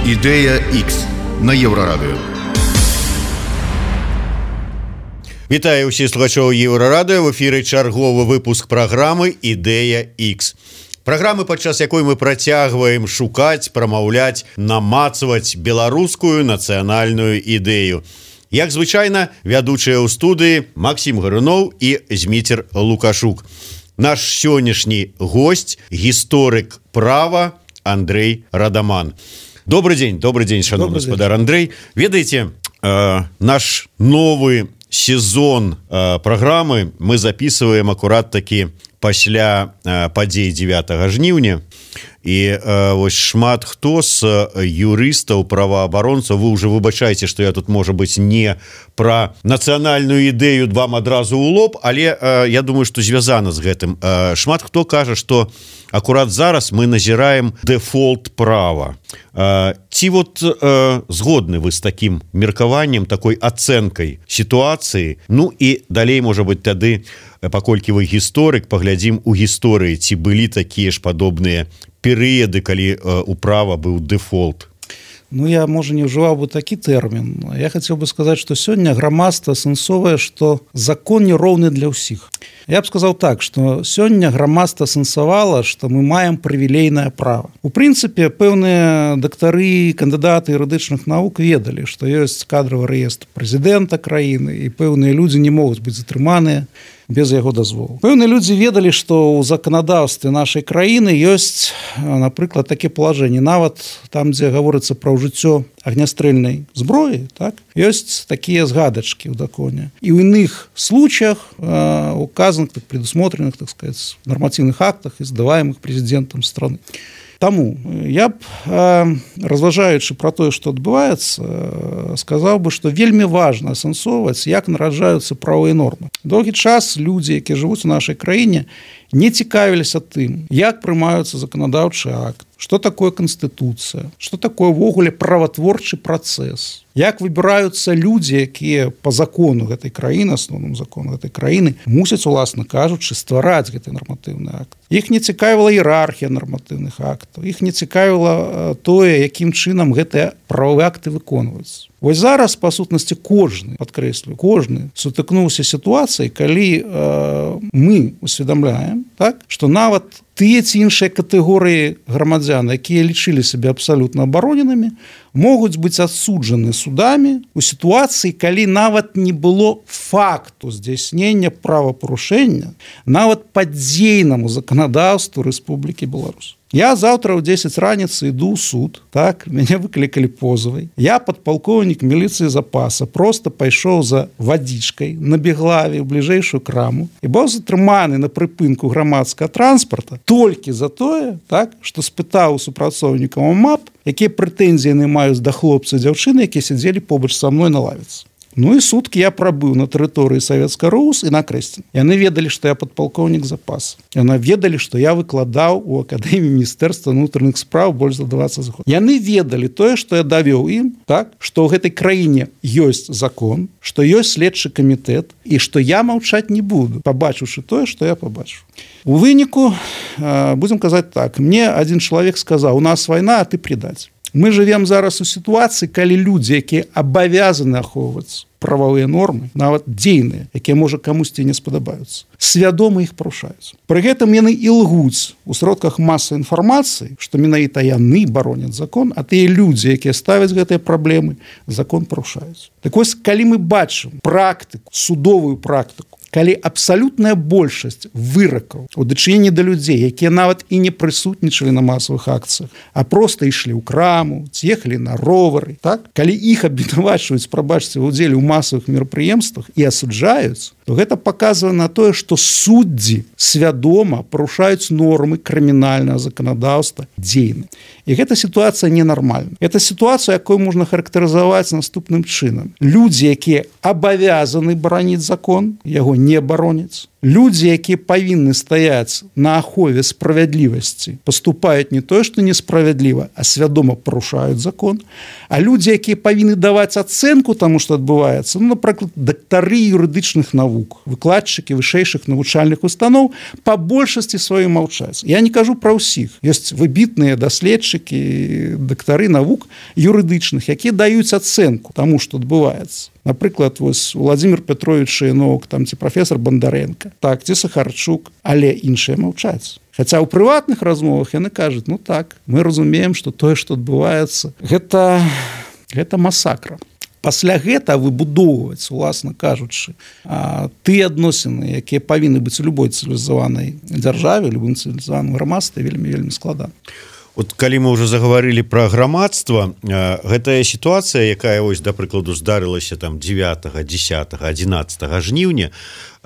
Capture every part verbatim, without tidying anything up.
Ідэя Х на Еўрарадыё. Вітаю ўсіх слухачоў Еўрарадыё. В эфіры чарговы выпуск праграмы «Ідэя Х». Праграмы, падчас якой мы працягваем шукаць, прамаўляць, намацваць беларускую нацыянальную ідэю. Як звычайна, вядучыя ў студыі Максім Гаруноў і Зміцер Лукашук. Наш сённяшні гость, гісторык права Андрей Радаман. Добрый день, добрый день, шановный господар Андрей. Ведаеце, э, наш новый сезон э, программы мы записываем аккурат таки пасля э, падзей дзевятага жніўня. І э, вось шмат хто з юрыстаў, праваабаронцаў, вы уже выбачаеце, што я тут, можа быць, не пра нацыянальную ідэю вам адразу ў лоб, але э, я думаю, што звязана з гэтым. Э, шмат хто кажа, што акурат зараз мы назіраем дэфолт права. Э, ці вот э, згодны вы з такім меркаваннем, такой ацэнкай сітуацыі? Ну і далей, можа быць, тады, паколькі вы гісторык, паглядзім у гісторыі, ці былі такія ж падобныя перыяды, калі э, у права быў дэфолт. Ну, я, можа, не ўжываў бы такі тэрмін. Я хацеў бы сказаць, што сёння грамадства сэнсовае, што закон не роўны для ўсіх. Я б сказаў так, што сёння грамадства сэнсавала, што мы маем прывілейнае права. У прынцыпе, пэўныя дактары, кандыдаты юрыдычных навук ведалі, што ёсць кадравы рэестр прэзідэнта краіны, і пэўныя людзі не могуць быць затрыманыя без яго дазволу. Пэўныя людзі ведалі, што ў заканадаўстве нашай краіны ёсць, напрыклад, такія палажэнні. Нават там, дзе гаворыцца пра ўжыццё агнястрэльнай зброі, так, ёсць такія згадачкі ў законе. І ў іных случаях, э, указаных, так, предусмотренных, так сказать, нормативных актах, издаваемых президентом страны. Таму я б, э, разважаючы пра тое, што адбываецца, э, сказаў бы, што вельмі важна асэнсоўваць, як нараджаюцца правовыя нормы. Доўгі час людзі, якія жывуць у нашай краіне, не цікавіліся тым, як прымаюцца заканадаўчы акт, што такое канстытуцыя, што такое ўвогуле праватворчы працэс, як выбіраюцца людзі, якія па закону гэтай краіны, асноўным закону гэтай краіны, мусяць, уласна кажучы, ствараць гэты нарматыўны акт. Іх не цікавіла іерархія нарматыўных актаў, іх не цікавіла тое, якім чынам гэтыя правовыя акты выконваюцца. Вось зараз, па сутнасці, кожны, падкрэслю, кожны сутыкнуўся сітуацыяй, калі э, мы усведамляем, так, што нават тыя ці іншыя катэгорыі грамадзян, якія лічылі сябе абсалютна абароненымі, могуць быць адсуджаны судамі у сітуацыі, калі нават не было факту здзяйснення правапарушэння нават па дзейнаму заканадаўству Рэспублікі Беларусь. Я заўтра ў дзесяць раніцы іду ў суд, так, мяне выклікалі позавай. Я, падпалкоўнік міліцыі запаса, проста пайшоў за вадзічкай на Беглаве ў бліжэйшую краму і быў затрыманы на прыпынку грамадскага транспарта толькі за тое, так, што спытаў у супрацоўнікаў МАП, якія прэтэнзіі яны маюць да хлопца і дзяўчыны, якія сядзелі побач са мной на лавіцы. Ну і суткі я прабыў на тэрыторыі Савецкага РУС і на Крэсце. Яны ведалі, што я падпалкоўнік запаса. Яны ведалі, што я выкладаў у Акадэміі Міністэрства ўнутраных спраў больш за дваццаць год. Яны ведалі тое, што я давёў ім, так, што ў гэтай краіне ёсць закон, што ёсць следчы камітэт і што я маўчаць не буду, пабачыўшы тое, што я пабачыў. У выніку, будзем казаць так, мне адзін чалавек сказаў: у нас вайна, а ты придаць. Мы жывем зараз у сітуацыі, калі людзі, якія абавязаны ахоўваць прававыя нормы, нават дзейныя, якія, можа, камусьці не спадабаюцца, свядома іх парушаюць. Пры гэтым яны і лгуць у сродках масавай інфармацыі, што менавіта яны бароняць закон, а тыя людзі, якія ставяць гэтыя праблемы, закон парушаюць. Так вось, калі мы бачым практыку, судовую практыку, калі абсалютная большасць выракаў у дачыненні да людзей, якія нават і не прысутнічалі на масавых акцыях, а проста ішлі ў краму, ці ехалі на ровары, так? Калі іх абвінавачваюць, прабачце, ва ўдзеле ў масавых мерапрыемствах і асуджаюць, то гэта паказвае на тое, што суддзі свядома парушаюць нормы крымінальнага заканадаўства дзейна. І гэта сітуацыя ненармальная. Гэта сітуацыя, якую можна характарызаваць наступным чынам. Людзі, якія абавязаны бараніць закон, яго не бароняць. Людзі, якія павінны стаяць на ахове справядлівасці, паступаюць не тое, што несправядліва, а свядома парушаюць закон. А людзі, якія павінны даваць ацэнку таму, што адбываецца, ну, напрыклад, дактары юрыдычных навук, выкладчыкі вышэйшых навучальных устаноў, па большасці сваёй маўчаць. Я не кажу пра ўсіх. Ёсць выбітныя даследчыкі, дактары навук юрыдычных, якія даюць ацэнку таму, што адбываецца. Напрыклад, вось Владимир Петрович Янок, там ці прафесор Бондаренко, так, ці Сахарчук, але іншыя маўчаць. Хаця ў прыватных размовах яны кажуць, ну так, мы разумеем, што тое, што адбываецца, гэта, гэта масакра. Пасля гэта выбудоўваць, уласна кажучы, тыя адносіны, якія павінны быць у любой цывілізаванай дзяржаве, любым цывілізаваным грамадстве, вельмі, вельмі складана. Вот калі мы ўжо загаварылі пра грамадства, гэтая сітуацыя, якая вось да прыкладу здарылася там дзевятага, дзесятага, адзінаццатага жніўня,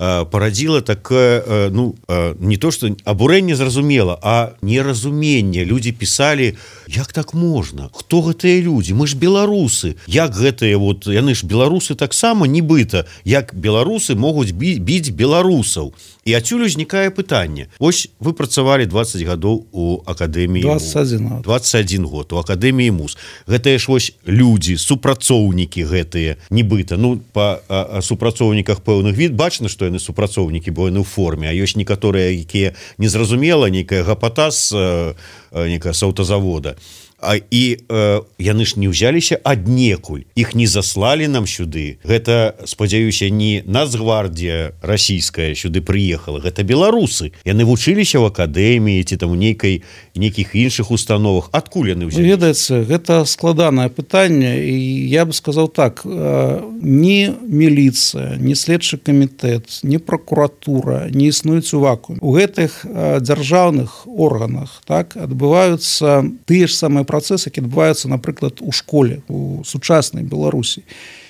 парадзіла такое, ну, не то што абурэнне зразумела, а неразуменне. Людзі пісалі, як так можна? Хто гэтыя людзі? Мы ж беларусы. Як гэтыя, вот, яны ж беларусы таксама, нібыта, як беларусы могуць біць беларусаў. І адсюль узнікае пытанне. Вось вы працавалі дваццаць гадоў у акадэміі двадцать один, двадцать один год у акадэміі МУЗ. Гэтыя ж вось людзі, супрацоўнікі гэтыя, нібыта. Ну, па а, а супрацоўніках пэўных від бачна, што яны супрацоўнікі, бо яны ў форме, а ёсць некаторыя, якія незразумела, нейкая гапата з нейкая з аўтазавода. А, і э, яны ж не ўзяліся аднекуль, іх не заслалі нам сюды. Гэта, спадзяюся, не Нацгвардія расійская сюды прыехала, гэта беларусы. Яны вучыліся ў акадэміі ці там у нейкай нейкіх іншых установах. Адкуль яны ўзяліся? Ведаеце, гэта складанае пытанне, і я бы сказаў так, ні міліцыя, ні следчы камітэт, ні пракуратура не існуюць у вакууме. У гэтых дзяржаўных органах, так, адбываюцца тыя ж самыя працэсы, які адбываюцца, напрыклад, у школе, у сучаснай Беларусі.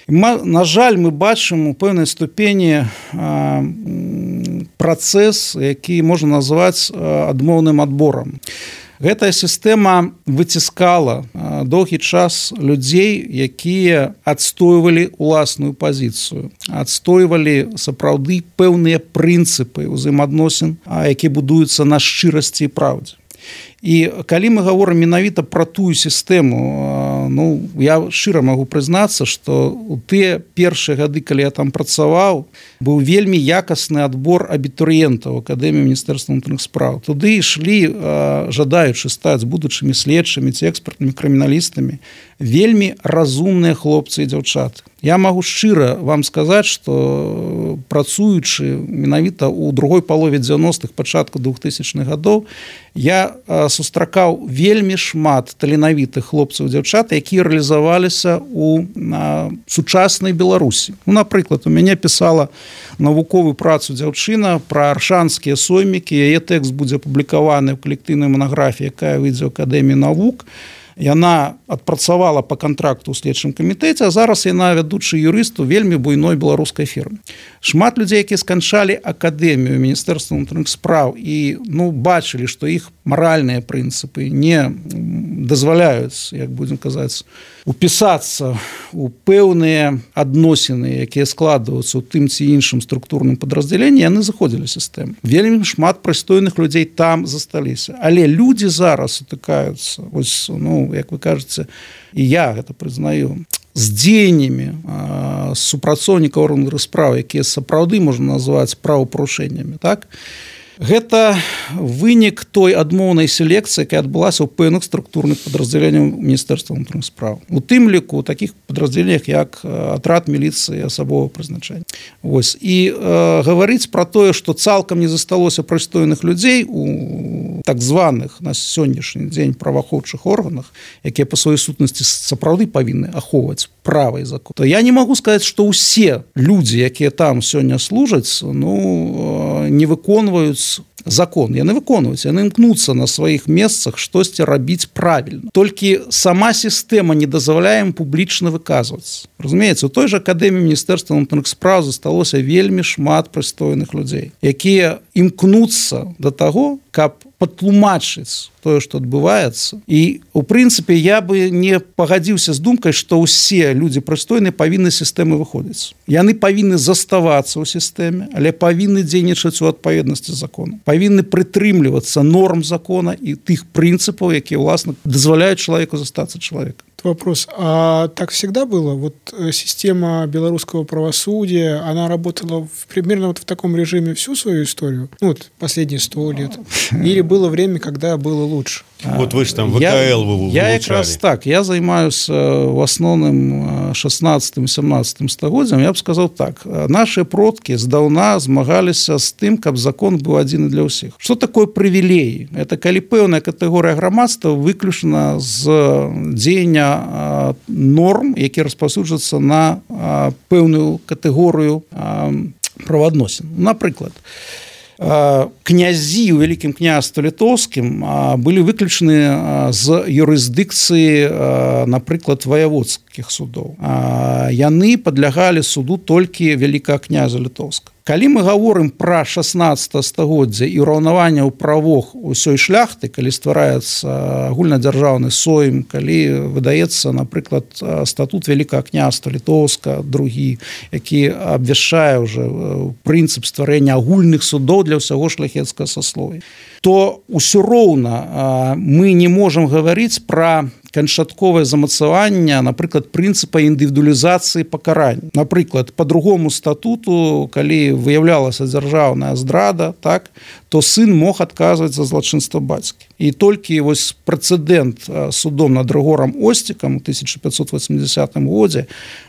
На жаль, мы бачым у пэўнай ступені працэс, які можна назваць адмоўным адборам. Гэтая сістэма выціскала доўгі час людзей, якія адстойвалі уласную пазіцыю, адстойвалі сапраўды пэўныя прынцыпы ўзаемаадносін, якія будуюцца на шчырасці і праўдзе. І калі мы гаворым менавіта пра тую сістэму, ну, я шчыра магу прызнацца, што у тыя першыя гады, калі я там працаваў, быў вельмі якасны адбор абітурыентаў акадэміі міністэрства ўнутраных спраў. Туды ішлі, жадаючы стаць будучымі следчымі ці экспертнымі крыміналістамі, вельмі разумныя хлопцы і дзяўчаты. Я магу шчыра вам сказаць, што працуючы менавіта ў другой палове дзевяностых, пачатку двухтысячных гадоў, я сустракаў вельмі шмат таленавітых хлопцаў і дзяўчат, якія рэалізаваліся ў сучаснай Беларусі. Ну, напрыклад, у мяне пісала навуковую працу дзяўчына пра аршанскія соймікі, яе тэкст будзе апублікаваны ў калектыўнай манаграфіі, якая выйдзе ў акадэміі навук. Яна адпрацавала па кантракту ў следчым камітэце, а зараз яна вядучы юрыст у вельмі буйной беларускай фірме. Шмат людзей, якія сканчалі акадэмію міністэрства ўнутраных спраў і, ну, бачылі, што іх маральныя прынцыпы не дазваляюць, як будзем казаць, упісацца ў пэўныя адносіны, якія складваюцца ў тым ці іншым структурным падраздзяленні, яны заходзілі ў сістэму. Вельмі шмат прыстойных людзей там засталіся. Але людзі зараз сутыкаюцца, ось, ну, як вы кажаце, і я гэта прызнаю, з дзеяннямі супрацоўнікаў органаў справ, якія сапраўды можна назваць правапарушэннямі, так? Гэта вынік той адмоўнай селекцыі, якая адбылася ў пэўных структурных падраздзяленняў міністэрства ўнутраных спраў. У тым ліку у такіх падраздзяленнях, як атрад міліцыі асабовага прызначэння. Вось. І э, гаварыць пра тое, што цалкам не засталося прыстойных людзей у так званых на сённяшні дзень праваахоўчых органах, якія па сваёй сутнасці сапраўды павінны ахоўваць права і закон. То я не магу сказаць, што ўсе людзі, якія там сёння служаць, ну, не выконваюць закон. Яны выконваюць, яны імкнуцца на сваіх месцах штосьці рабіць правільна. Толькі сама сістэма не дазваляе ім публічна выказвацца. Разумееце, у той жа акадэміі міністэрства ўнутраных спраў засталося вельмі шмат прыстойных людзей, якія імкнуцца да таго, каб патлумачыць тое, што адбываецца. І у прынцыпе я бы не пагадзіўся з думкай, што ўсе людзі прыстойныя павінны з сістэмы выходзіць. Яны павінны заставацца ў сістэме, але павінны дзейнічаць у адпаведнасці з законам. Павінны прытрымлівацца норм закона і тых прынцыпаў, якія ўласна дазваляюць чалавеку застацца чалавекам. Вопрос. А так всегда было? Вот система белорусского правосудия, она работала в, примерно вот в таком режиме всю свою историю? Ну, вот последние сто лет. Или было время, когда было лучше? Вот вы же там ВКЛ я, вы я якраз так. Я займаюсь в основном шестнадцатым-семнадцатым стагоддзям. Я б сказал так. Наши продки здаўна змагаліся з тым, каб закон быў адзін для ўсіх. Что такое привилеи? Это калі пэўная катэгорыя грамадства выключана з дзеяння норм, які распаўсюджваюцца на пэўную катэгорыю праваадносін. Напрыклад, князі ў Вялікім княстве літоўскім былі выключаны з юрысдыкцыі, напрыклад, ваяводскіх судоў. Яны падлягалі суду толькі Вялікага князя літоўскага. Калі мы гаворым пра шаснаццатае стагоддзе і ўраўнаванне ў правах усёй шляхты, калі ствараецца агульнадзяржаўны сойм, калі выдаецца, напрыклад, статут Вялікага княства літоўска, другі, які абвяшчае ўжо прынцып стварэння агульных судоў для ўсяго шляхецкага сасловia, то ўсё роўна мы не можам гаварыць пра канчатковае замацаванне, напрыклад, прынцыпа індывідуалізацыі пакарання. Напрыклад, по другому статуту, калі выяўлялася дзяржаўная здрада, так, то сын мог адказваць за злачынства бацькі. І толькі вось прэцэдэнт судом над Рыгорам Осцікам у тысяча пятьсот восьмидесятым годзе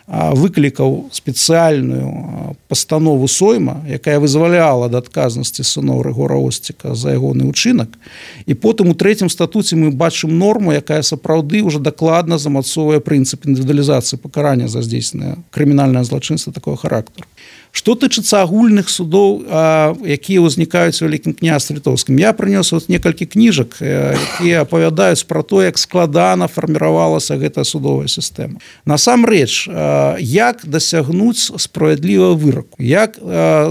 выклікаў спецыяльную пастанову сойма, якая вызваляла ад адказнасці сыноў Рыгора Осціка за ягоны ўчынак. І потым у трэцім статуце мы бачым норму, якая сапраўды уже дакладна замацоўвае прынцып індывідуалізацыі пакарання за здзейсненае крымінальнае злачынства такого характару. Што тычыцца агульных судоў, якія ўзнікаюць у Вялікім княстве літоўскім, я прынёс вот некалькі кніжак, якія апавядаюць пра то, як складана фарміравалася гэтая судовая сістэма. Насамрэч, як дасягнуць справядлівага выраку, як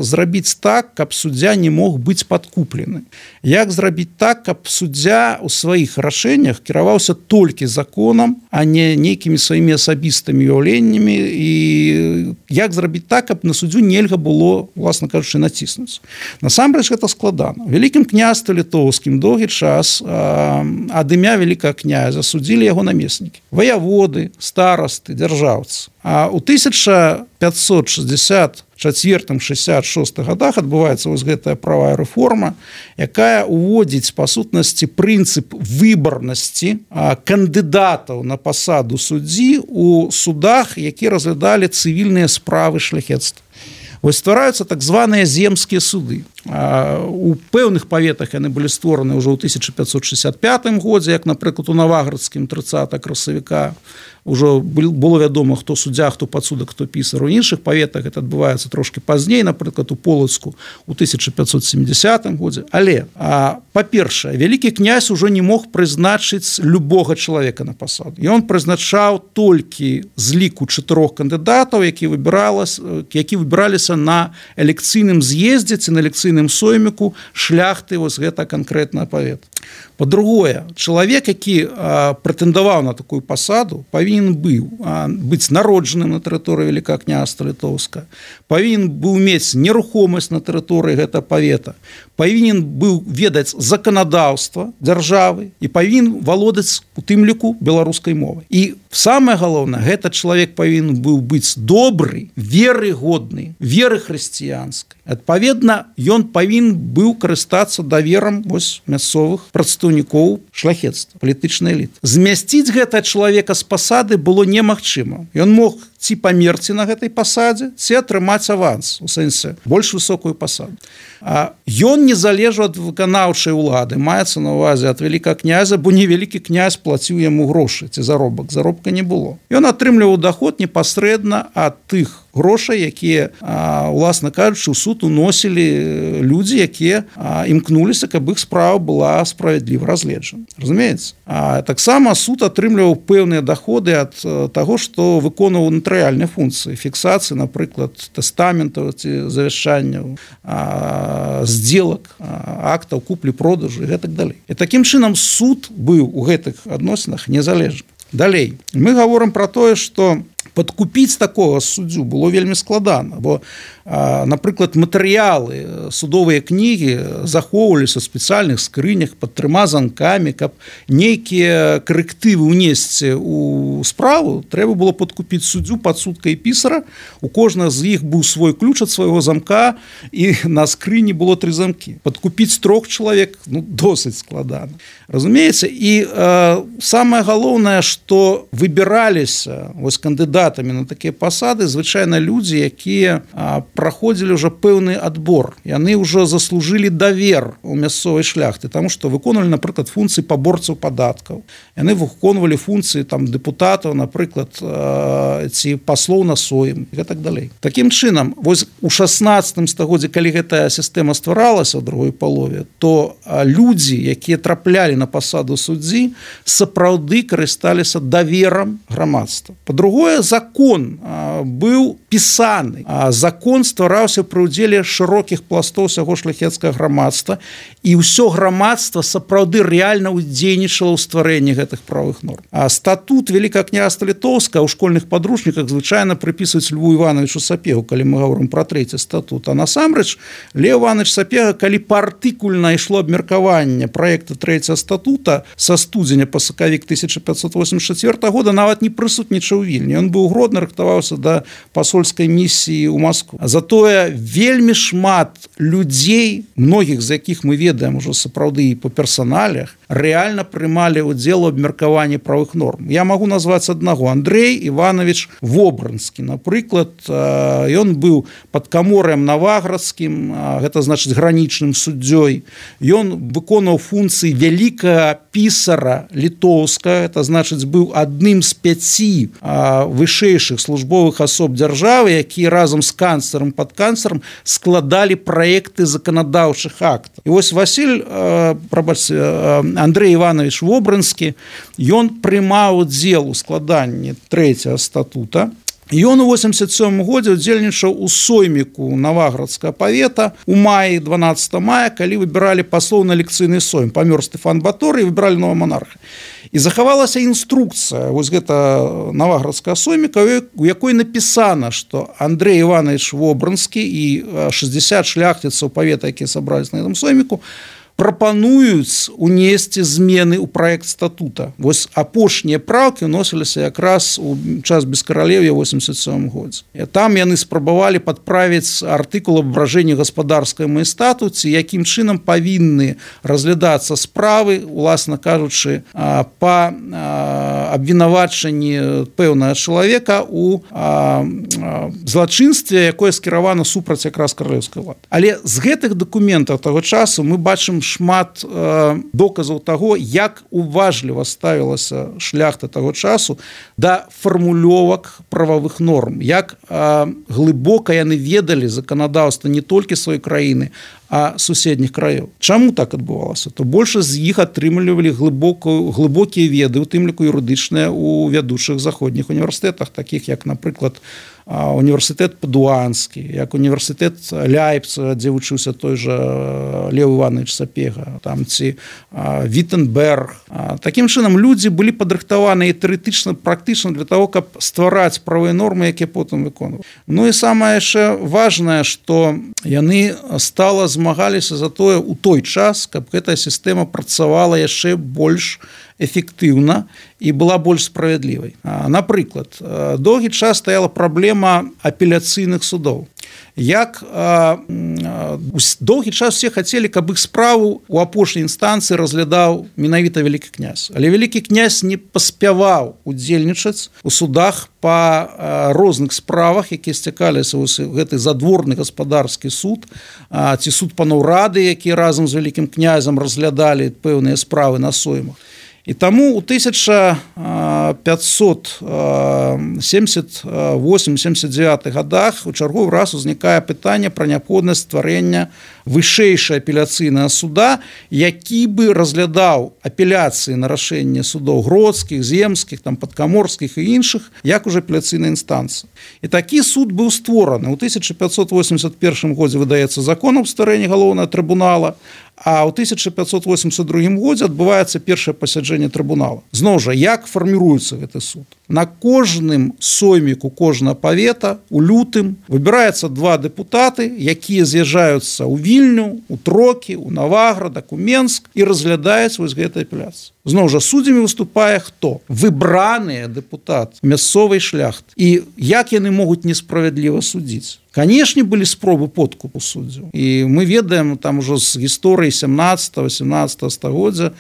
зрабіць так, каб суддзя не мог быць падкуплены, як зрабіць так, каб суддзя ў сваіх рашэннях кіраваўся толькі законам, а не нейкімі сваімі асабістымі уяўленнямі, і як зрабіць так, каб на суддзю нельга было, власна кажучы, націснуць. Насамрэч гэта складана. У Вялікім княстве літоўскім доўгі час ад імя Вялікага князя судзілі яго намеснікі. Ваяводы, старасты, дзяржаўцы. А ў тысяча пятьсот шестьдесят четвёртым — шестьдесят шостым годах адбываецца вось гэтая правая рэформа, якая уводзіць па сутнасці прынцып выбарнасці кандыдатаў на пасаду суддзі у судах, якія разглядалі цывільныя справы шляхецтва. Вось ствараюцца так званыя земскія суды. У пэўных паветах яны былі створаны ўжо ў тысяча пятьсот шестьдесят пятым годзе, як, напрыклад, у Наваградскім тридцатого красавіка. Ужо было вядома, хто суддзя, хто падсудак, хто пісар. У іншых паветах гэта адбываецца трошки пазней, напрыклад, у Полацку у тысяча пятьсот семидесятым годзе. Але, па-першае, Вялікі князь ужо не мог прызначыць любога чалавека на пасаду. Ён прызначаў толькі з ліку чатырох кандыдатаў, які які выбіраліся на элекцыйным з'ездзе ці на элекцыйным сойміку шляхты вось гэта канкрэтна павет. Па-другое, чалавек, які прэтэндаваў на такую пасаду, павінен быў быць народжаным на тэрыторыі Вялікага княства літоўска, павінен быў мець нерухомасць на тэрыторыі гэта павета, павінен быў ведаць заканадаўства дзяржавы і павінен валодаць у тым ліку беларускай мовай. І самае галоўнае, гэта чалавек павінен быў быць добры, верыгодны, веры хрысціянскай. Адпаведна, ён павінен быў карыстацца даверам вось мясцовых прадстаўнікоў шляхецтва, палітычнай эліты. Змясціць гэта чалавека з пасады было немагчыма. Ён мог ці памерці на гэтай пасадзе, ці атрымаць аванс, у сэнсе больш высокую пасаду. А ён не залежаў ад выканаўчай улады, маецца на ўвазе ад Вялікага князя, бо не Вялікі князь плаціў яму грошы ці заробак, заробка не было. Ён атрымліваў доход непасрэдна ад тых грошай, якія, уласна кажучы, у суд уносілі людзі, якія імкнуліся, каб іх справа была справядліва разгледжана. Разумеецца? А таксама суд атрымліваў пэўныя доходы ад таго, што выконваў натарыяльнай функцыі фіксацыі, напрыклад, тэстаментаў ці завяшчанняў, здзелак, актаў куплі-продажу і гэтак далей. І такім чынам суд быў у гэтых адносінах незалежны. Далей мы гаворым пра тое, што падкупіць такога суддзю было вельмі складана, бо, напрыклад, матэрыялы, судовыя кнігі захоўваліся ў спецыяльных скрынях пад трыма замкамі, каб нейкія карэктывы ўнесці ў справу, трэба было падкупіць суддзю, падсудка і пісара. У кожнага з іх быў свой ключ ад свайго замка, і на скрыні было тры замкі. Падкупіць трох чалавек, ну, досыць складана. Разумееце, і э, самае галоўнае, што выбіраліся вось кандыдатамі на такія пасады звычайна людзі, якія а, праходзілі ўжо пэўны адбор. Яны ўжо заслужылі давер у мясцовай шляхты, таму што выконвалі, напрыклад, функцыі паборцаў падаткаў. Яны выконвалі функцыі там дэпутатаў, напрыклад, а, ці паслоў на сойм і так далей. Такім чынам, вось у шаснаццатым стагоддзі, калі гэтая сістэма стваралася ў другой палове, то а, людзі, якія траплялі на пасаду суддзі, сапраўды карысталіся даверам грамадства. Па-другое, закон а, быў пісаны. А закон ствараўся пры ўдзеле шырокіх пластоў усяго шляхецкага грамадства, і ўсё грамадства сапраўды рэальна ўдзейнічала ў стварэнні гэтых правовых норм. А статут Вялікага княства Літоўскага ў школьных падручніках звычайна прыпісваюць Льву Івановичу Сапегу, калі мы гаворым пра трэці статут. А насамрэч Лев Іванович Сапега, калі партыкульна ішло абмеркаванне праекта трэцяга статута са студзеня па сакавік тысяча пятьсот восемьдесят четвёртого года, нават не прысутнічаў у Вільні. Ён быў Гродно, рыхтаваўся да пасольскай місіі ў Москву. Затое вельмі шмат людзей, многіх з якіх мы ведаем ужо сапраўды па персаналях, рэальна прымалі ўдзел у абмеркаванні правых норм. Я магу назваць аднаго. Андрей Іванович Вобранскі, напрыклад, ён быў падкамор'ем Наваградскім, гэта значыць гранічным суддзёй. Ён выконваў функцыі вялікага пісара літоўскага, это значыць быў адным з пяці вышэйшых службовых асоб дзяржавы, якія разам з канцлерам, падканцлерам складалі праекты заканадаўчых актаў. І вось Васіль, прабачце, Андрей Іванович Вобранскі, ён прымаў удзел у складанні трэцяга статута. Ён у восемьдесят сёмым годзе удзельнічаў у сойміку Наваградскага павета у маі, дванаццатага мая, калі выбіралі паслоў на лекцыйны сойм. Памёр Стэфан Баторый і выбіралі нового монарха. І захавалася інструкцыя вось гэта Наваградскага сойміка, у якой напісана, што Андрей Іванович Вобранскі і шэсцьдзесят шляхціцаў павета, якія сабраліся на гэтым сойміку, прапануюць унесці змены ў праект статута. Вось апошнія праўкі ўносіліся якраз у час бескаралев'я ў восемьдесят сёмым годзе. Там яны спрабавалі падправіць артыкул аб абражэнні гаспадарскай майстату, ці якім чынам павінны разглядацца справы, уласна кажучы, па абвінавачанні пэўнага чалавека у злачынстве, якое скіравана супраць якраз каралеўскай улады. Але з гэтых дакументаў таго часу мы бачым шмат э, доказаў таго, як уважліва ставілася шляхта таго часу да фармулёвак прававых норм, як э, глыбока яны ведалі заканадаўства не толькі сваёй краіны, а суседніх краёў. Чаму так адбывалася? То большасць з іх атрымлівалі глыбокія веды, у тым ліку юрыдычныя у вядучых заходніх універсітэтах, такіх як, напрыклад, універсітэт Падуанскі, як універсітэт Ляйпціга, дзе вучыўся той жа Лев Іванович Сапега, там ці Віттенберг. Такім чынам людзі былі падрыхтаваны і тэарэтычна, практычна для того, каб ствараць правыя нормы, якія потым выконваюць. Ну і самае яшчэ важнае, што яны стала змагаліся за тое ў той час, каб гэтая сістэма працавала яшчэ больш эфектыўна і была больш справядлівай. Напрыклад, доўгі час стаяла праблема апеляцыйных судоў. Як а, доўгі час все хацелі, каб іх справу у апошняй інстанцыі разглядаў менавіта вялікі князь. Але вялікі князь не паспяваў удзельнічаць у судах па а, розных справах, якія сцякаліся ў гэты задворны гаспадарскі суд, а, ці суд паноў рады, які разам з вялікім князем разглядалі пэўныя справы на соймах. І таму ў тысяча пятьсот семьдесят восемь семьдесят девять годах у чарговы раз узнікае пытанне пра неабходнасць стварэння вышэйшае апеляцыйнае суда, які бы разглядаў апеляцыі на рашэнне судоў гродскіх, земскіх, там падкаморскіх і іншых, як уже апеляцыйная інстанцыя. І такі суд быў створаны. У тысяча пятьсот восемьдесят первом годзе выдаецца закон аб стварэнні галоўнага трыбунала, а ў тысяча пятьсот восемьдесят другом годзе адбываецца першае пасяджэнне трыбунала. Зноў жа, як фарміруецца гэты суд? На кожным сойміку кожнага павета у лютым выбіраецца два дэпутаты, якія з'язджаюцца ў Вільню, у Трокі, у Наваградак, у Менск і разглядаюць вось гэтай апеляцыі. Зноў жа, суддзямі выступае хто? Выбраныя дэпутаты мясцовай шляхты. І як яны могуць несправядліва судзіць? Канешне, былі спробы подкупу суддзяў. І мы ведаем там ужо з гісторыі сямнаццатага-восемнаццатага стагоддзя,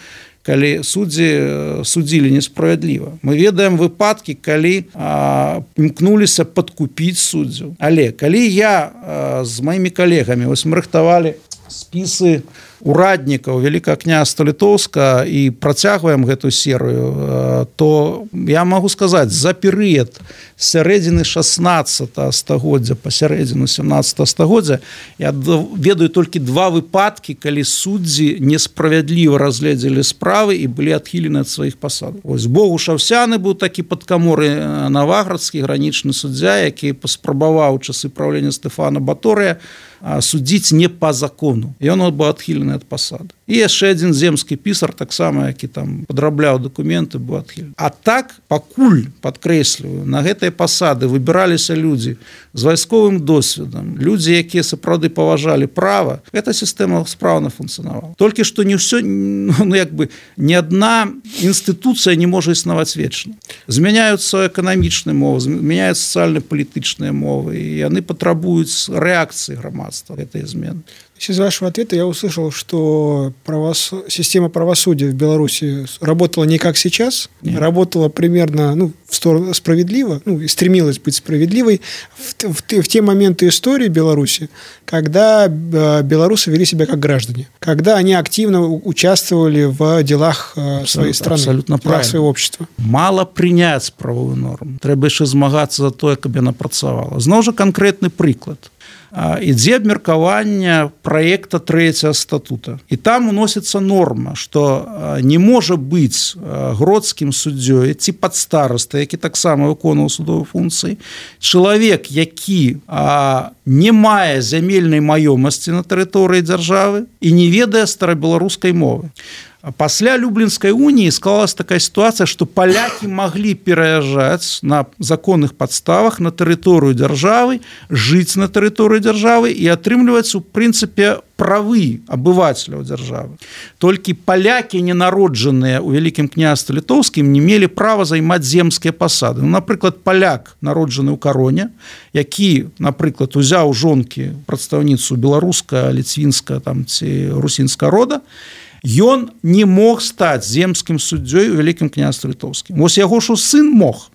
калі суддзі судзілі несправядліва. Мы ведаем выпадкі, калі а, імкнуліся падкупіць суддзяў. Але калі я а, з маімі калегамі вось мы рыхтавалі спісы ураднікаў Вялікага княства Літоўска і працягваем гэту серыю, то я магу сказаць, за перыяд сярэдзіны шаснаццатага стагоддзя па сярэдзіну сямнаццатага стагоддзя я ведаю толькі два выпадкі, калі суддзі несправядліва разгледзелі справы і былі адхілены ад сваіх пасадаў. Вось Богуш Авсяны быў такі падкаморы наваградскі гранічны суддзя, які паспрабаваў часы правлення Стэфана Баторыя судзіць не па закону. І ён быў адхілены ад пасады. І яшчэ адзін земскі пісар, таксама, які там падрабляў дакументы, быў адхілены. А так, пакуль, падкрэсліваю, на гэтай пасады выбіраліся людзі з вайсковым досведам, людзі, якія сапраўды паважалі права, эта сістэма спраўна функцыянавала. Толькі што не ўсё, ну, як бы, ні адна інстытуцыя не можа існаваць вечна. Змяняюцца эканамічныя мовы, змяняюцца сацыяльна-палітычныя мовы, і яны патрабуюць рэакцыі грамадства этой змены. Из вашего ответа я услышал, что правос... система правосудия в Беларуси работала не как сейчас, Нет. работала примерно ну, в сторону справедливо, ну, и стремилась быть справедливой в, в, в те моменты истории Беларуси, когда белорусы вели себя как граждане, когда они активно участвовали в делах абсолютно, своей страны, абсолютно в делах своего общества. Мало принять правовую норму. Трэба яшчэ змагацца за тое, каб яна працавала. Зноў жа канкрэтны прыклад. Ідзе абмеркаванне праекта трэцяга статута. І там уносіцца норма, што не можа быць гродскім суддзёй ці падстараста, які таксама выконваў судовыя функцыі, чалавек, які а, не мае зямельнай маёмасці на тэрыторыі дзяржавы і не ведае старабеларускай мовы. Пасля Люблінскай уніі склалась такая сітуацыя, што палякі маглі пераязджаць на законных падставах на тэрыторыю дзяржавы, жыць на тэрыторыі дзяржавы і атрымліваць у прынцыпе правы абывацеляў дзяржавы. Толькі палякі, ненароджаныя ў Вялікім княстве Літоўскім, не мелі права займаць земскія пасады. Ну, напрыклад, паляк, народжаны ў Кароне, які, напрыклад, узяў жонкі прадстаўніцу беларуска, ліцвінска там, ці русінска рода, ён не мог стаць земскім суддзёй у Вялікім княстве Літоўскім. Вось яго ж сын мог.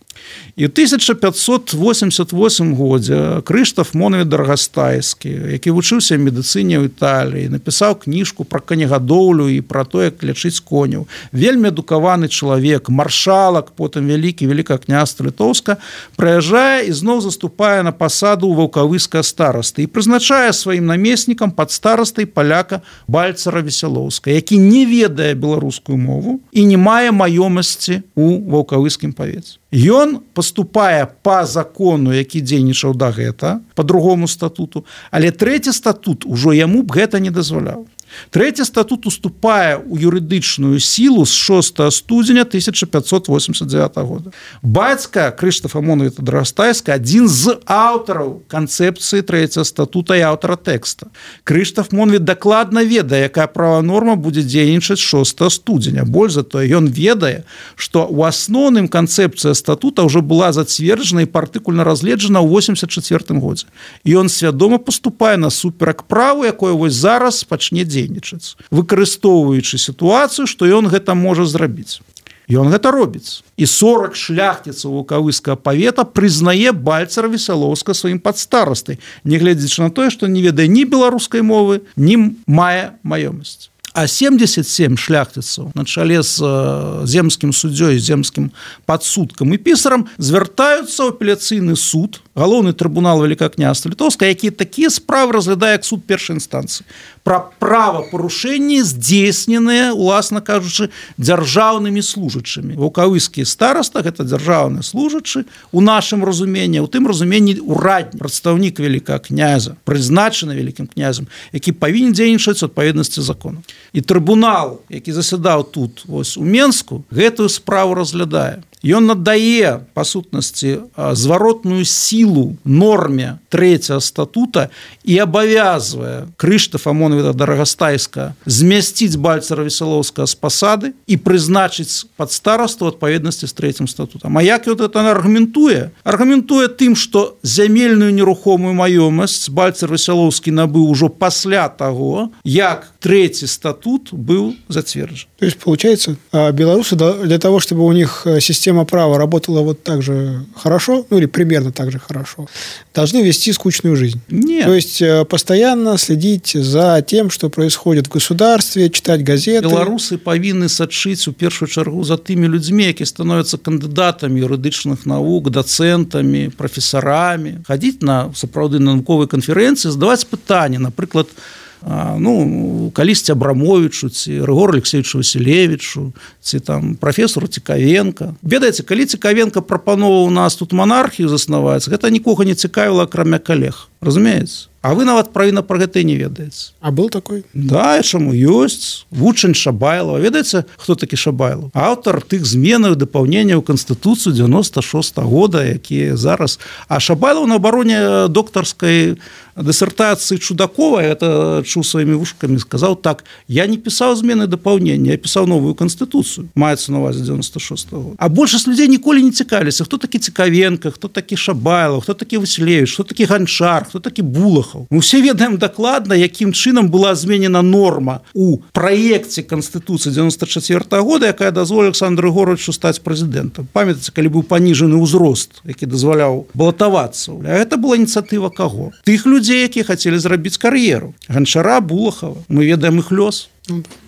І ў тысяча пятьсот восемьдесят восьмым годзе Крыштаф Моновіч Даргастайскі, які вучыўся в медыцыне ў Італіі, напісаў кніжку пра канегадоўлю і пра то, як лячыць коняў. Вельмі адукаваны чалавек, маршалак, потым вялікі Вялікага княства Літоўска, прыязджае і зноў заступае на пасаду ваўкавыскага старасты і прызначае сваім намеснікам падстарастай паляка Бальцара Весялоўска, які не ведае беларускую мову і не мае маёмасці ў ваўкавыскім павеце. Ён паступае па закону, які дзейнічаў да гэта, па другому статуту, але трэці статут ужо яму б гэта не дазваляў. Трэці статут уступае ў юрыдычную сілу з шостага студзеня тысяча пятьсот восемьдесят девятого года. Бацька Крыштафа Моновіча Даргастайска адзін з аўтараў канцэпцыі трэцяга статута і аўтара тэкста. Крыштаф Моновіч дакладна ведае, якая правовая норма будзе дзейнічаць шостага студзеня. Больш за тое, ён ведае, што ў асноўным канцэпцыя статута ўжо была зацверджана і партыкульна разгледжана ў восемьдесят четвёртым годзе. І ён свядома паступае насуперак праву, якое вось зараз пачне дзейнічаць. Дзейнічаць, выкарыстоўваючы сітуацыю, што ён гэта можа зрабіць. Ён гэта робіць. І сорок шляхціцаў ваўкавыскага павета прызнае Бальцара Весялоўска сваім падстарастай, нягледзячы на тое, што не ведае ні беларускай мовы, ні мае маёмасць. а семьдесят семь шляхтыцаў на чале з земскім суддзёй, земскім падсудкам і пісарам звяртаюцца ў апеляцыйны суд, галоўны трыбунал Великакняства Літоўска, які такія справы разглядае як суд першай інстанцыі пра правапарушэнні, здзейсненыя, уласна кажучы, дзяржаўнымі служачымі. Ваўкавыскі стараста гэта дзяржаўны служачы у нашым разуменні, у тым разуменні ураднік, прадстаўнік вялікага князя, прызначаны вялікім князем, які павінен дзейнічаць у адпаведнасці закону. І трыбунал, які засядаў тут вось у Менску, гэтую справу разглядае. Ён надае, па сутнасці, зваротную сілу норме трэцяга статута і абавязвае Крыштафа Амонавіта Дарагастайска змясціць Бальцара Весялоўскага з пасады і прызначыць падстарасту ў адпаведнасці з трэцім статутам. А як ён гэта аргументуе? Аргументуе тым, што зямельную нерухомую маёмасць Бальцар Весялоўскі набыў ужо пасля таго, як трэці статут быў зацверджен. То есть, получается, белорусы для того, чтобы у них система права работала вот так же хорошо, ну или примерно так же хорошо, должны вести скучную жизнь. Нет. То есть, постоянно следить за тем, что происходит в государстве, читать газеты. Белорусы павінны сачыць у першую чаргу за тымі людзьмі, якія становятся кандыдатамі юрыдычных навук, дацэнтамі, прафесарамі, хадзіць на сапраўды навуковыя канферэнцыі, задаваць пытанні, напрыклад, ну, калісьці Абрамовічу, ці Рыгору Алексеевичу Васілевічу, ці там прафесору Цікавенка. Ведаеце, калі Цікавенка прапановаў у нас тут манархію заснаваць, гэта нікога не цікавіла, акрамя калег. Разумееце? А вы нават правільна пра гэта не ведаеце. А был такой? Да, чаму ёсць. Вучань Шабайлава. Ведаеце, хто такі Шабайлаў? Аўтар тых зменаў і дапаўненняў Канстытуцыю дзевяносто шостага года, якія зараз... А Шабайлаў на абароне доктарскай дысертацыі Чудакова, это чуў сваімі вушкамі, сказаў так: я не пісаў змены і дапаўнення, я пісаў новую Канстытуцыю. Маецца на увазе дзевяносто шостага года. А большасць людзей ніколі не цікавіліся, хто такі Цікавенка, хто такі Шабайлаў, хто такі Васілевіч, хто такі Ганчар, хто такі Булахаў. Мы ўсе ведаем дакладна, якім чынам была зменена норма у праекце Канстытуцыі дзевяносто чацвёртага года, якая дазволіла Александру Григорьевичу стаць прэзідэнтам. Памятаеце, калі быў паніжаны ўзрост, які дазваляў балатавацца. А гэта была ініцыятыва каго? Тых людзей, якія хацелі зрабіць кар'еру. Ганчара, Булахава. Мы ведаем іх лёс.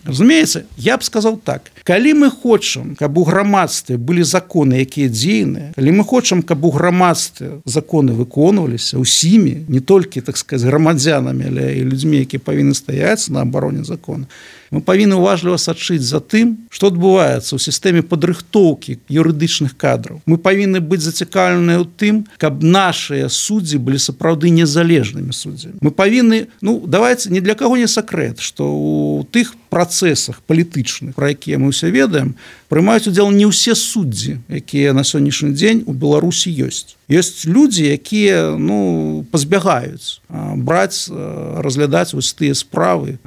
Разумееце, я б сказал так: калі мы хочам, каб у грамадстве былі законы, якія дзейныя, калі мы хочам, каб у грамадстве законы выконваліся ўсімі, не толькі, так сказать, грамадзянамі, але і людзьмі, якія павінны стаяць на абароне закона, мы павінны уважліва сачыць за тым, што адбываецца ў сістэме падрыхтоўкі юрыдычных кадраў. Мы павінны быць зацікаўленыя ў тым, каб нашыя суддзі былі сапраўды незалежнымі суддзямі. Мы павінны, ну, давайте, ні для каго не сакрэт, што ў тых працэсах палітычных, пра якія мы ўсе ведаем, прымаюць удзел не ўсе суддзі, якія на сённяшні дзень у Беларусі ёсць. Ёсць людзі, якія, ну, пазбягаюць браць, разглядаць вось тыя справы,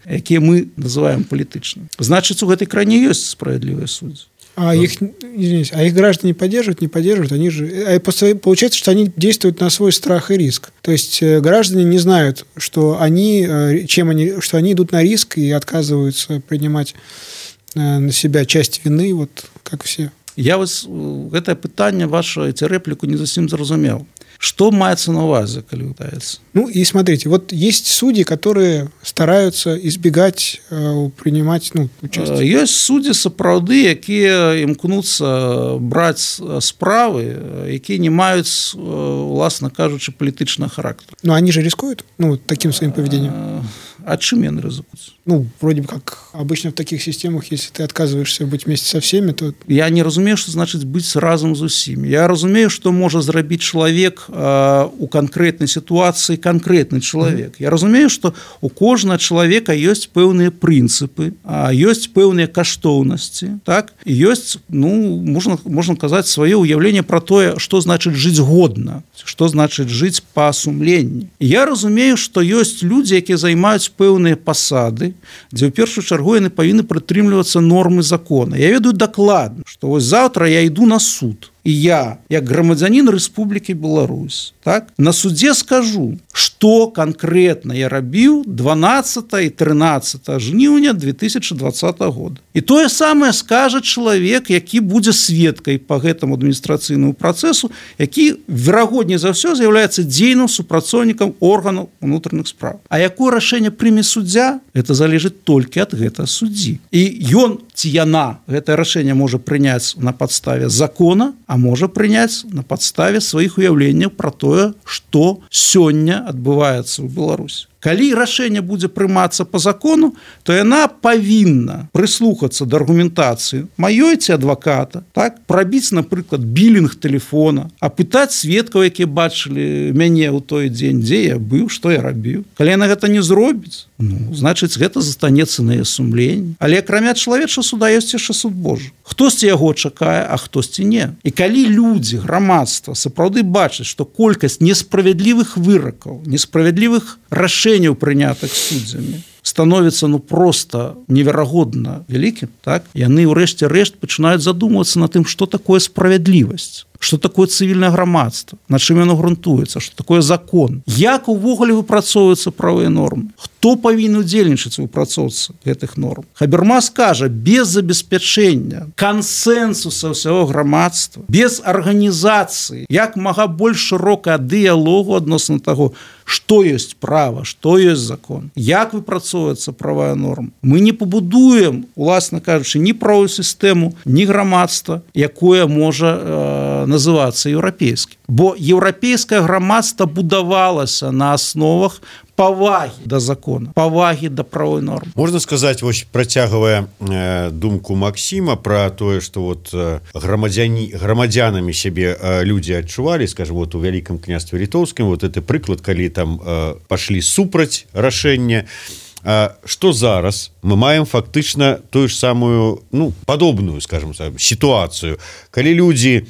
якія мы называем палітычнымі. Значыць, у гэтай краіне ёсць справядлівыя суддзі. А их, извините, а их граждане поддерживают, не поддерживают, они же... Получается, что они действуют на свой страх и риск. То есть граждане не знают, что они, чем они, что они идут на риск и отказываются принимать на себя часть вины, вот как все. Я вас гэтае пытанне ваше, ці рэпліку не зусім зразумеў. Что маецца на увазе, калі пытаецца? Ну и смотрите, вот есть судьи, которые стараются избегать э, принимать, ну, участие. Есть судьи сапраўды, якія імкнуцца браць справы, якія не маюць, уласна кажучы, палітычнага характара. Но они же рискуют, ну, таким своим поведением. А чым яны рызыкуюць? Ну, вроде бы как обычно в таких системах, если ты отказываешься быть вместе со всеми, то... Я не разумею, што значыць быць разам з усімі. Я разумею, што можа зрабіць чалавек э, у канкрэтнай сітуацыі канкрэтны чалавек. Я разумею, што у кожнага чалавека ёсць пэўныя прынцыпы, ёсць пэўныя каштоўнасці, так? І ёсць, ну, можна, можна казаць, сваё ўяўленне пра тое, што значыць жыць годна, што значыць жыць па сумленні. І я разумею, што ёсць людзі, якія займаюць пэўныя пасады, дзе ў першую чаргу яны павінны прытрымлівацца нормы закона. Я ведаю дакладна, што вось заўтра я іду на суд. і я як грамадзянін Рэспублікі Беларусь, так, на судзе скажу, што канкрэтна я рабіў дванаццатага і трынаццатага жніўня две тысячы двадцатага года. І тое самае скажа чалавек, які будзе сведкай па гэтаму адміністрацыйнаму працэсу, які, верагодней за ўсё, з'яўляецца дзейным супрацоўнікам органаў унутраных спраў. А якое рашэнне прыме суддзя, гэта залежыць толькі ад гэтага суддзі. І ён ці яна гэтае рашэнне можа прыняць на падставе закона, а можа прыняць на падставе сваіх уяўленняў пра тое, што сёння адбываецца ў Беларусі. Калі рашэнне будзе прымацца по закону, то яна павінна прыслухацца да аргументацыі маёй ці адваката, так, прабіць, напрыклад, білінг тэлефона, апытаць сведкаў, якія бачылі мяне ў той дзень, дзе я быў, што я рабіў. Калі яна гэта не зробіць, ну, значыць, гэта застанецца на яе сумленні. Але акрамя чалавечага суда ёсць яшчэ суд Божы. Хтосьці яго чакае, а хтосьці не. І калі людзі, грамадства сапраўды бачаць, што колькасць несправядлівых выракаў, несправядлівых рашэнняў, прынятых суддзямі, становіцца ну просто неверагодна вялікім, так, яны ўрэшце рэшт пачынаюць задумвацца на тым, што такое справядлівасць, што такое цывільнае грамадства, на чым яно грунтуецца, што такое закон, як увогуле выпрацоўваюцца правыя нормы, хто павінен удзельнічаць у выпрацоўцы гэтых норм. Хабермас кажа, без забеспячэння кансэнсуса ўсяго грамадства, без арганізацыі, як мага больш шырокага дыялогу адносна таго, што ёсць права, што ёсць закон, як выпрацоўваецца правая норма. Мы не пабудуем, уласна кажучы, ні правую сістэму, ні грамадства, якое можа э, называцца еўрапейскім. Бо еўрапейскае грамадства будавалася на асновах павагі да закона, павагі да правой нормы. Можна сказаць, вось працягвая э, думку Максіма пра тое, што вот э, грамадзяні, грамадзянамі сябе э, людзі адчувалі, скажем, вот у Вялікім княстве Літоўскім, вот это прыклад, калі там э, пашлі супраць рашэння, э, што зараз мы маем фактычна тую ж самую, ну, падобную, скажем, сітуацыю, калі людзі,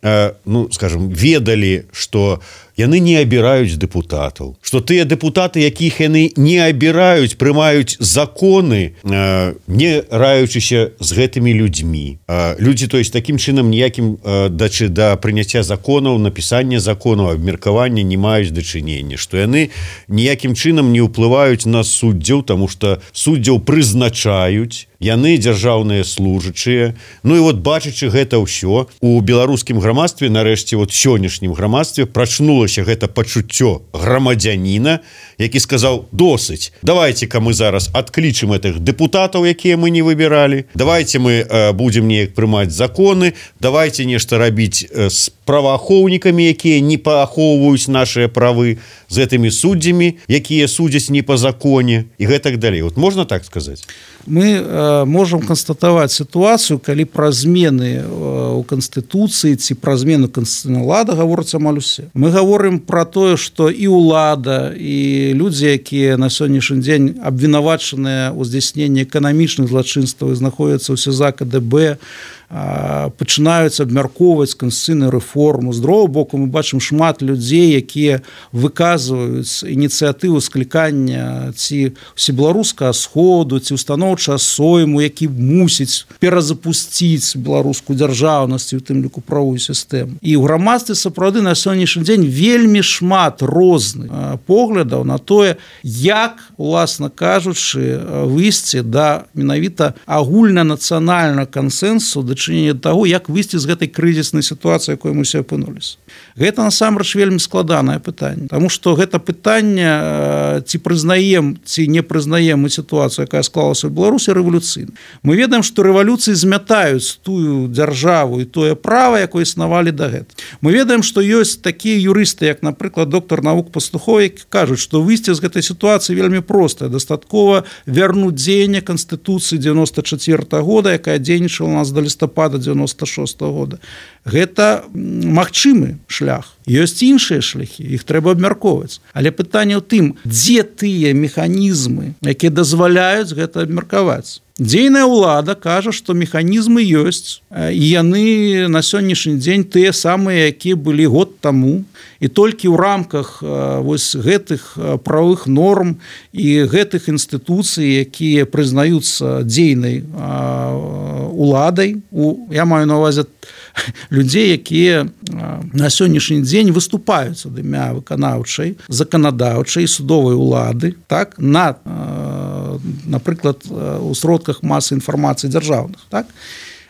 э, ну, скажем, ведалі, што яны не абіраюць дэпутатаў, што тыя дэпутаты, якіх яны не абіраюць, прымаюць законы, э, не раючыся з гэтымі людзьмі. Э, людзі, то есть, такім чынам ніякім э, дачы да прыняцця законаў, напісання законаў, абмеркавання не маюць дачынення, што яны ніякім чынам не ўплываюць на суддзяў, таму што суддзяў прызначаюць, яны дзяржаўныя служачыя. Ну і вот бачачы гэта ўсё, у беларускім грамадстве, нарэшце вот сённяшнім грамадстве прачнула гэта пачуццё грамадзяніна, які сказаў, досыць, давайте-ка мы зараз адклічым гэтых дэпутатаў, якія мы не выбіралі, давайте мы э, будзем неяк прымаць законы, давайте нешта рабіць э, з праваахоўнікамі, якія не паахоўваюць нашыя правы, з гэтымі суддзямі, якія судзяць не па законе, і гэтак далей. Вот можна так сказаць? Мы э, можам канстатаваць сітуацыю, калі пра змены э, у Канстытуцыі ці пра змену канстытуцыйнага лада гаворыцца амаль усе. Мы гаворым пра тое, што і ўлада, і людзі, якія на сённяшні дзень абвінавачаныя ў здзяйсненні эканамічных злачынстваў і знаходзяцца ў СІЗА КДБ, пачынаюць абмяркоўваць канстытуцыйную рэформу. З другога боку, мы бачым шмат людзей, якія выказваюць ініцыятыву склікання ці усебеларускага сходу, ці устаноўчага сойму, які мусіць перазапусціць беларускую дзяржаўнасць, у тым ліку правую сістэму. І ў грамадстве сапраўды на сённяшні дзень вельмі шмат розных поглядаў на тое, як, уласна кажучы, выйсці да менавіта агульнанацыянальнага кансэнсусу дачынення таго, як выйсці з гэтай крызіснай сітуацыі, якой мы ўсе апынуліся. Гэта насамрэч вельмі складанае пытанне, таму што гэта пытанне, ці прызнаем, ці не прызнаем мы сітуацыю, якая склалася ў Беларусі, рэвалюцыйна. Мы ведаем, што рэвалюцыі змятаюць тую дзяржаву і тое права, якое існавалі дагэтуль. Мы ведаем, што ёсць такія юрысты, як, напрыклад, доктар навук Пастухов, які кажуць, што выйсці з гэтай сітуацыі вельмі простае, дастаткова вярнуць дзеянне Канстытуцыі дзевяносто чацвёртага года, якая дзейнічала у нас до лістапада дзевяносто шостага года. Гэта магчымы шлях. Ёсць іншыя шляхі, іх трэба абмяркоўваць. Але пытанне ў тым, дзе тыя механізмы, якія дазваляюць гэта абмеркаваць. Дзейная ўлада кажа, што механізмы ёсць, і яны на сённяшні дзень тыя самыя, якія былі год таму, і толькі ў рамках вось гэтых правовых норм і гэтых інстытуцый, якія прызнаюцца дзейнай уладай, у, я маю на увазе людзей, якія на сённяшні дзень выступаюць ад імя выканаўчай, заканадаўчай, судовай улады, так, на, напрыклад, у сродках масы інфармацыі дзяржаўных, так.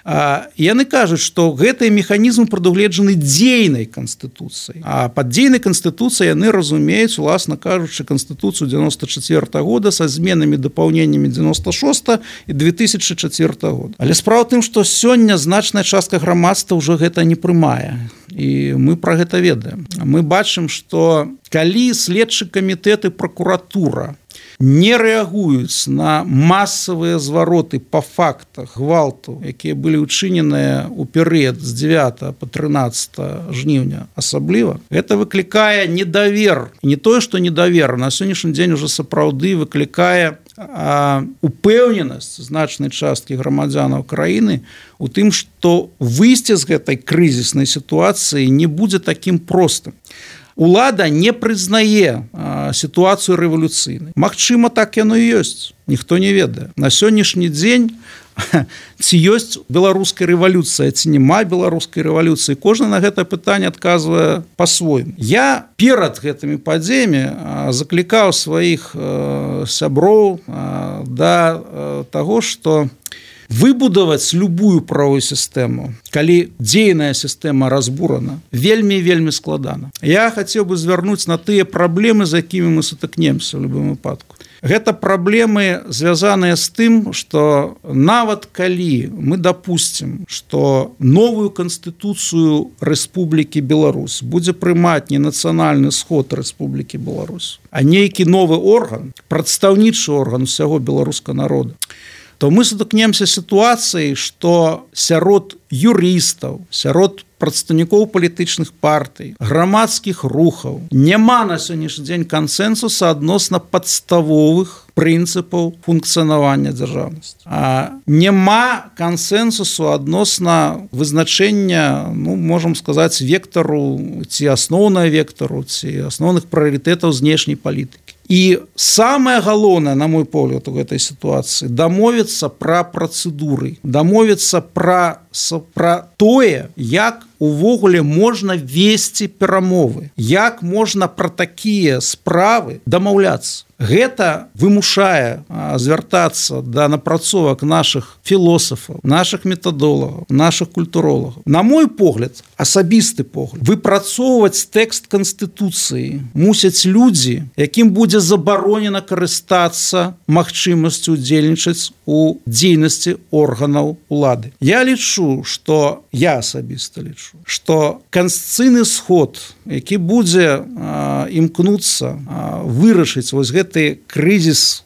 А, яны кажуць, што гэтыя механізмы прадугледжаны дзейнай канстытуцыяй. А пад дзейнай канстытуцыяй яны разумеюць, уласна кажучы, канстытуцыю дзевяносто четвёртого года са зменамі дапаўненнямі девяносто шестого і две тысячи четвёртого года. Але справа ў тым, што сёння значная частка грамадства ўжо гэта не прымае. І мы пра гэта ведаем. Мы бачым, што калі следчы камітэт і пракуратура не рэагуюць на масавыя звароты па фактах гвалту, якія былі ўчыненыя ў перыяд з дзевятого па трынаццатое жніўня асабліва, гэта выклікае недавер. Не тое, што недавер, на сённяшні дзень уже сапраўды выклікае а, упэўненасць значнай часткі грамадзянаў краіны у тым, што выйсце з гэтай крызіснай сітуацыі не будзе такім простым. Улада не прызнае а, сітуацыю рэвалюцыйнай. Магчыма, так яно і ёсць. Ніхто не ведае. На сённяшні дзень ці ёсць беларуская рэвалюцыя, ці няма беларускай рэвалюцыі. Кожны на гэта пытанне адказвае па-свойму. Я перад гэтымі падзеямі заклікаў сваіх а, сяброў а, да а, таго, што выбудаваць любую правовую сістэму, калі дзейная сістэма разбурана, вельмі-вельмі складана. Я хацеў бы звярнуць на тыя праблемы, з якімі мы сутыкнемся ў любым выпадку. Гэта праблемы, звязаныя з тым, што нават калі мы дапусцім, што новую канстытуцыю Рэспублікі Беларусь будзе прымаць не нацыянальны сход Рэспублікі Беларусь, а нейкі новы орган, прадстаўнічы орган усяго беларускага народа, то мы сутыкнемся сітуацыяй, што сярод юрыстаў, сярод прадстаўнікоў палітычных партый, грамадскіх рухаў няма на сённяшні дзень кансэнсуса адносна падставовых прынцыпаў функцыянавання дзяржаўнасці. А няма кансэнсусу адносна вызначэння, ну, можам сказаць, вектару ці асноўнага вектару, ці асноўных прыярытэтаў знешняй палітыкі. І самае галоўнае, на мой погляд, у гэтай сітуацыі дамовіцца пра працэдуры, дамовіцца пра, пра тое, як увогуле можна весці перамовы, як можна пра такія справы дамаўляцца. Гэта вымушае а, звяртацца да напрацовак нашых філосафаў, нашых метадолагаў, нашых культуролагаў. На мой погляд, асабісты погляд, выпрацоўваць тэкст Канстытуцыі мусяць людзі, якім будзе забаронена карыстацца магчымасцю удзельнічаць у дзейнасці органаў улады. Я лічу, што я асабіста лічу, што канстытуцыйны сход, які будзе а, імкнуцца а, вырашыць вось гэты крызіс,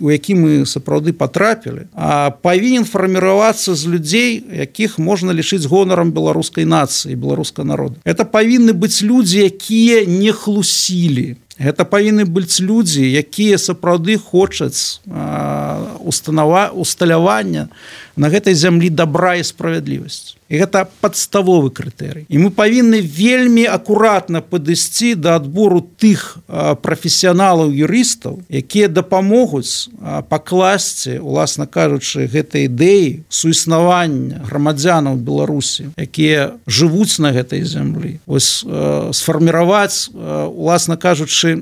у які мы сапраўды патрапілі, а павінен фарміравацца з людзей, якіх можна лічыць гонарам беларускай нацыі, беларускага народа. Это павінны быць людзі, якія не хлусілі. Гэта павінны быць людзі, якія сапраўды хочуць а, установа, усталявання на гэтай зямлі добра і справядлівасць. І гэта падставовы крытэрый. І мы павінны вельмі акуратна падысці да адбору тых а, прафесіяналаў юрыстаў, якія дапамогуць а, пакласці, уласна кажучы, гэтай ідэі суіснавання грамадзянаў Беларусі, якія жывуць на гэтай зямлі. Вось а, сфарміраваць, а, уласна кажучы,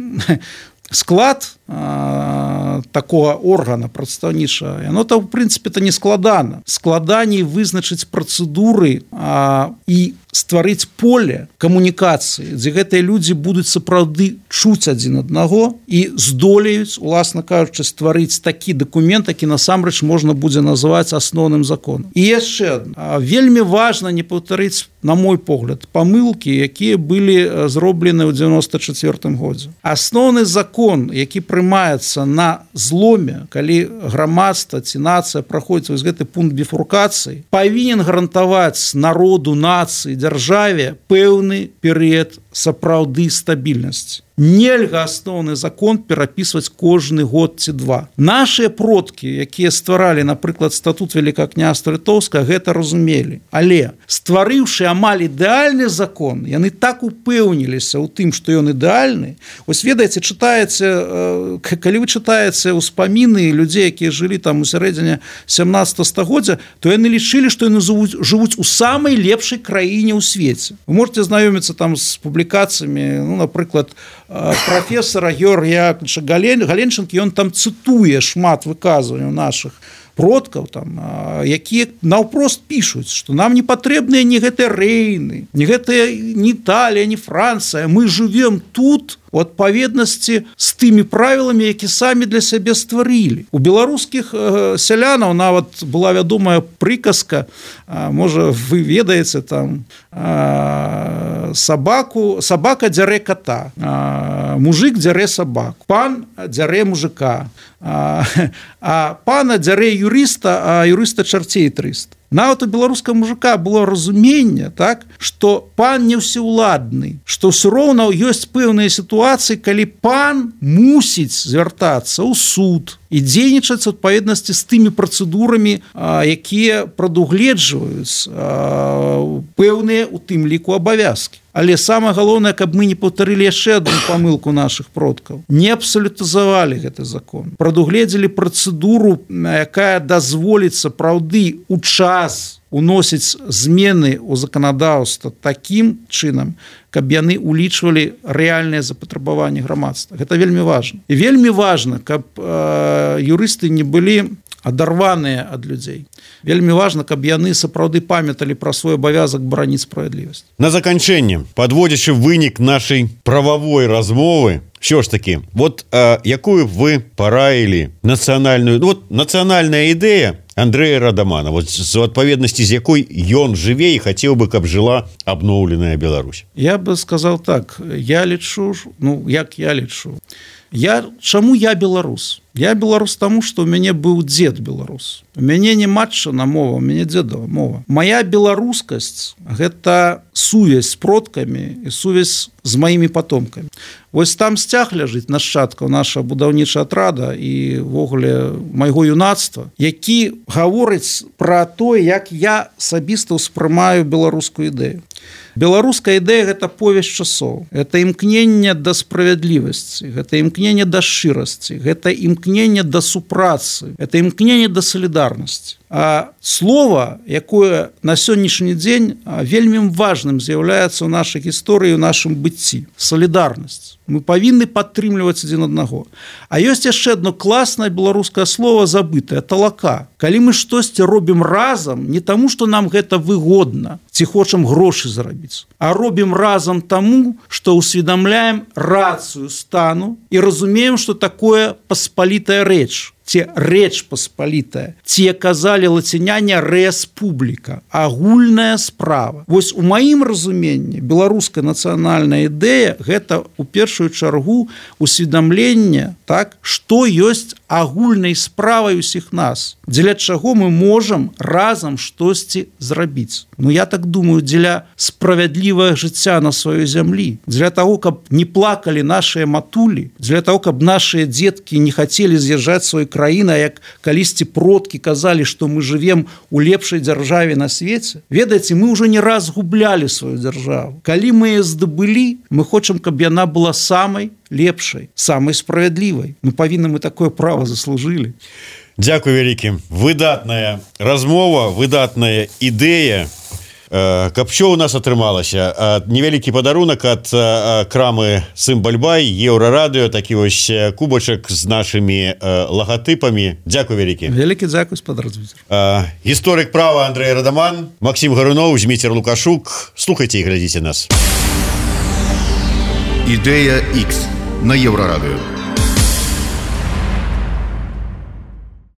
склад а, такого органа прадстаўнічага, яно то в прынцыпе то не складана. Складаней вызначыць працэдуры а, і стварыць поле камунікацыі, дзе гэтыя людзі будуць сапраўды чуць адзін аднаго і здолеюць, уласна кажучы, стварыць такі дакумент, які насамрэч можна будзе называць асноўным законам. І яшчэ адна. Вельмі важна не паўтарыць, на мой погляд, памылкі, якія былі зроблены ў девяносто четвёртым годзе. Асноўны закон, які прымаецца на зломе, калі грамадства ці нацыя праходзіць вось гэты пункт біфуркацыі, павінен гарантаваць народу, нацыі, дзяржаве пэўны перыяд сапраўды стабільнасць. Нельга асноўны закон перапісваць кожны год ці два. Нашыя продкі, якія стваралі, напрыклад, статут Великакняства Літоўскага, гэта разумелі. Але стварыўшы амаль ідэальны закон, яны так упэўніліся ў тым, што ён ідэальны. Вось ведаеце, чытаеце, калі вы чытаеце ўспаміны людзей, якія жылі там у сярэдзіне сямнаццатага стагоддзя, то яны лічылі, што яны жывуць у самай лепшай краіне ў свеце. Вы можете знаёміцца там з публікацыямі, ну, напрыклад, профессора Георгія Галенченкі, ён там цытуе шмат выказванняў нашых продкаў, там, якія наўпрост пішуць, што нам не патрэбныя ні гэтыя рэйны, ні гэтыя ні Італія, ні Францыя. Мы жывем тут у адпаведнасці з тымі правіламі, які самі для сябе стварылі. У беларускіх сялянаў нават была вядомая прыказка, можа, вы ведаеце, там, сабаку, сабака дзярэ ката, мужик дзярэ сабаку, пан дзярэ мужика, а пана дзярэ юрыста, а юрыста чарцей трыста. Нават у беларускага мужика было разуменне, так, што пан не ўсеўладны, што ўсё роўна ёсць пэўныя сітуацыі, калі пан мусіць звяртацца ў суд і дзейнічаць у адпаведнасці з тымі працэдурамі, якія прадугледжваюць пэўныя у тым ліку абавязкі. Але самае галоўнае, каб мы не паўтарылі яшчэ адну памылку нашых продкаў. Не абсалютызавалі гэты закон. Прадугледзелі працэдуру, якая дазволіць сапраўды у час уносіць змены ў заканадаўства такім чынам, каб яны улічвалі рэальныя запатрабаванні грамадства. Гэта вельмі важна. І вельмі важна, каб э, юрысты не былі адарваныя ад людзей. Вельмі важна, каб яны сапраўды памяталі пра свой абавязак бараніць справядлівасць. На заканчэнне, падводзячы вынік нашай прававой размовы, що ж таки, вот а, якую вы параілі нацыянальную, ну, вот нацыянальная ідэя Андрэя Радамана, вот з адпаведнасці, з якой ён жыве і хацеў бы, каб жыла абноўленая Беларусь. Я бы сказал так, я лічу, ну, як я лічу, я, чаму я беларус? Я беларус таму, што ў мяне быў дзед беларус. У мяне не матчына мова, у мяне дзедава мова. Мая беларускасць – гэта сувязь з продкамі і сувязь з маімі патомкамі. Вось там сцяг ляжыць нашчадкаў нашага будаўнічага атрада і ввогуле майго юнацтва, які гаворыць пра тое, як я асабіста ўспрымаю беларускую ідэю. Беларуская ідэя – гэта повесць часоў, гэта імкненне да справядлівасці, гэта імкненне да шчырасці, гэта імкненне да супрацы, гэта імкненне да салідарнасці. А слова, якое на сённяшні дзень вельмі важным з'яўляецца ў нашай гісторыі, у нашым быцці – салідарнасць. Мы павінны падтрымліваць адзін аднаго. А ёсць яшчэ одно класнае беларускае слово забытае – талака. Калі мы штосьці робім разам, не таму, што нам гэта выгодна, ці хочам грошы зарабіць, а робім разам таму, што ўсведамляем рацыю стану і разумеем, што такое паспалітая рэч. Ці рэч паспалітая, ці казалі лаціняне рэспубліка, агульная справа. Вось у маім разуменні беларуская нацыянальная ідэя – гэта у першую чаргу усведамленне, так, што ёсць агульнай справай усіх нас, дзеля чаго мы можам разам штосьці зрабіць. Ну, я так думаю, дзеля справядлівага жыцця на сваёй зямлі, дзеля таго, каб не плакалі нашыя матулі, дзеля таго, каб нашыя дзеткі не хацелі з'язджаць свой краіна, як калісьці продкі казалі, што мы жывем у лепшай дзяржаве на свеце. Ведаеце, мы ўжо не раз гублялі сваю дзяржаву. Калі мы яе здабылі, мы хочам, каб яна была самай лепшай, самай справядлівай. Ну, павінны мы такое права заслужылі. Дзякуй вялікі. Выдатная размова, выдатная ідэя. Каб що у нас атрымалася, невялікі падарунак ад крамы Сымбальбай, Еўрарадыё, такі вось кубачак з нашымі лагатыпамі. Дзякуй вялікі. Вялікі дзякуй, спадар Зміцер. Гісторык права Андрэй Радаман, Максім Гаруноў, Зміцер Лукашук. Слухайце і глядзіце нас. Ідэя Х на Еўрарадыё.